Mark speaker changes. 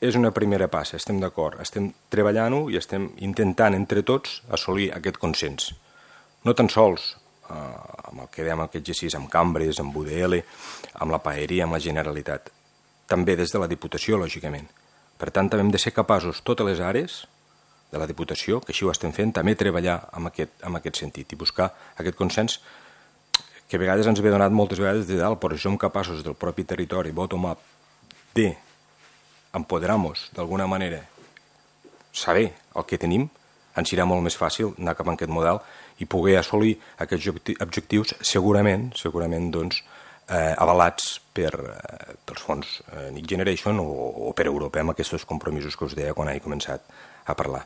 Speaker 1: és una primera passa, estem d'acord, estem treballant-ho i estem intentant entre tots assolir aquest consens. No tan sols amb el que dèiem aquest G6, amb Cambres, amb UDL, amb la Paeria, amb la Generalitat, també des de la Diputació, lògicament. Per tant, també hem de ser capaços, totes les àrees de la Diputació, que així ho estem fent, també treballar en aquest sentit i buscar aquest consens que a vegades ens ve donat moltes vegades de dalt, però si som capaços del propi territori, bottom-up, d'empoderar-nos d'alguna manera, saber el que tenim, ens serà molt més fàcil anar cap a aquest model i poder assolir aquests objectius segurament doncs, avalats pels fons Next Generation o per Europa, amb aquests compromisos que us deia quan he començat a parlar.